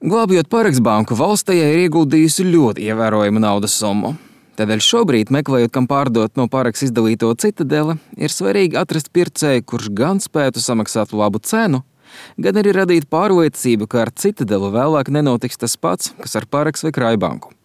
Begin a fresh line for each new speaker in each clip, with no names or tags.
Glābjot Pareks banku, valsts tajā ir ieguldījusi ļoti ievērojamu naudas summu. Tādēļ šobrīd, meklējot, kam pārdot no Pareks izdalīto Citadele, ir svarīgi atrast pircēju, kurš gan spētu samaksāt labu cenu, gan arī radīt pārliecību, ka ar Citadelu vēlāk nenotiks tas pats, kas ar Pareks vai Krājbanku.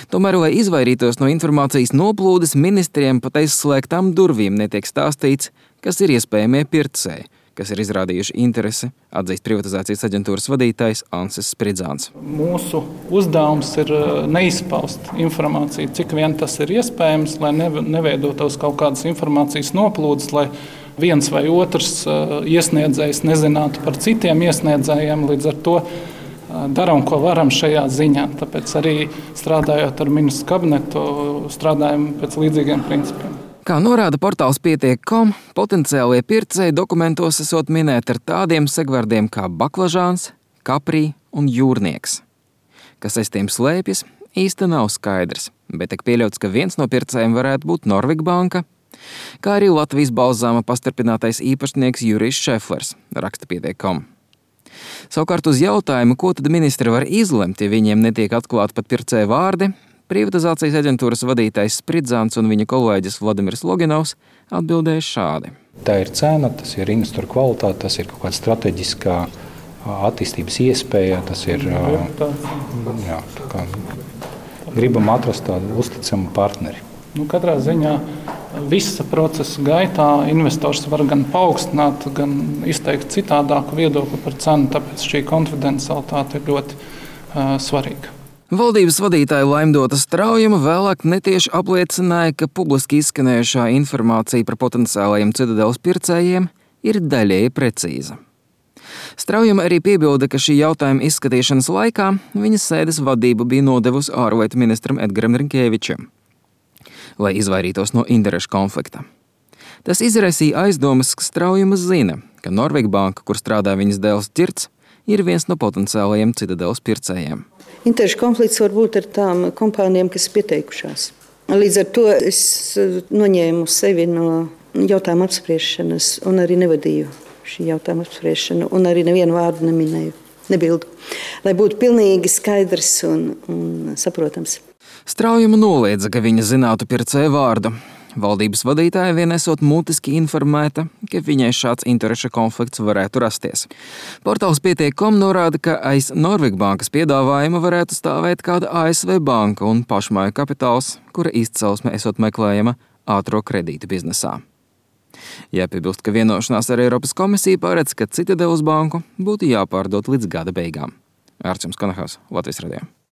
Tomēr, lai izvairītos no informācijas noplūdes, ministriem pat aiz slēgtām durvīm netiek stāstīts, kas ir iespējamie pircēji, kas ir izrādījuši interesi, atzīst privatizācijas aģentūras vadītājs Ansis Spridzāns.
Mūsu uzdevums ir neizpaust informāciju, cik vien tas ir iespējams, lai neveidotos kaut kādas informācijas noplūdes, lai viens vai otrs iesniedzējs nezinātu par citiem iesniedzējiem, līdz ar to darām, ko varam šajā ziņā. Tāpēc arī strādājot ar ministru kabinetu, strādājam pēc līdzīgiem principiem.
Kā norāda portāls Pietiek.com, potenciālie pircēji dokumentos esot minēti ar tādiem segvārdiem kā baklažāns, kaprī un jūrnieks. Kas aiz tiem slēpjas, īsti nav skaidrs, bet tiek pieļauts, ka viens no pircējiem varētu būt Norvik banka, kā arī Latvijas balzāma pastarpinātais īpašnieks Jurijs Šeflers, raksta Pietiek.com. Savukārt uz jautājumu, ko tad ministri var izlemt, ja viņiem netiek atklāti pat pircēju vārdi, privatizācijas aģentūras vadītājs Spridzāns un viņa kolēģis Vladimirs Loginovs atbildēja šādi.
Tā ir cena, tas ir investoru kvalitāte, tas ir kaut kāda strateģiskā attīstības iespēja, tas ir gribam atrast tādu uzticamu partneri.
Katrā ziņā visa procesa gaitā investors var gan paaugstināt, gan izteikt citādāku viedokli par cenu, tāpēc šī konfidencialitāte ir ļoti svarīga.
Valdības vadītāja Laimdota Straujuma vēlāk netieši apliecināja, ka publiski izskanējušā informācija par potenciālajiem Citadeles pircējiem ir daļēji precīza. Straujuma arī piebilda, ka šī jautājuma izskatīšanas laikā viņas sēdes vadību bija nodevusi ārlietu ministram Edgaram Rinkēvičam, lai izvairītos no interešu konflikta. Tas izraisīja aizdomas, ka Straujuma zina, ka Norvik banka, kur strādā viņas dēls Ķirts, ir viens no potenciālajiem Citadeles pircējiem.
Interešu konflikts var būt ar tām kompānijām, kas pieteikušās. Līdz ar to es noņēmu sevi no jautājuma apspriešanas un arī nevadīju šī jautājuma apspriešanu un arī nevienu vārdu neminēju, nebildu. Lai būtu pilnīgi skaidrs un saprotams.
Straujuma noliedza, ka viņa zinātu pircēju vārdu. Valdības vadītāja vien esot mutiski informēta, ka viņai šāds interešu konflikts varētu rasties. Portāls Pietiek.com norāda, ka aiz Norvik bankas piedāvājuma varētu stāvēt kāda ASV banka un pašmāju kapitāls, kura izcelsme esot meklējama ātro kredītu biznesā. Jāpiebilst, ka vienošanās ar Eiropas komisiju paredz, ka Citadeles banku būtu jāpārdod līdz gada beigām. Ārčuns Konahals, Latvijas radio.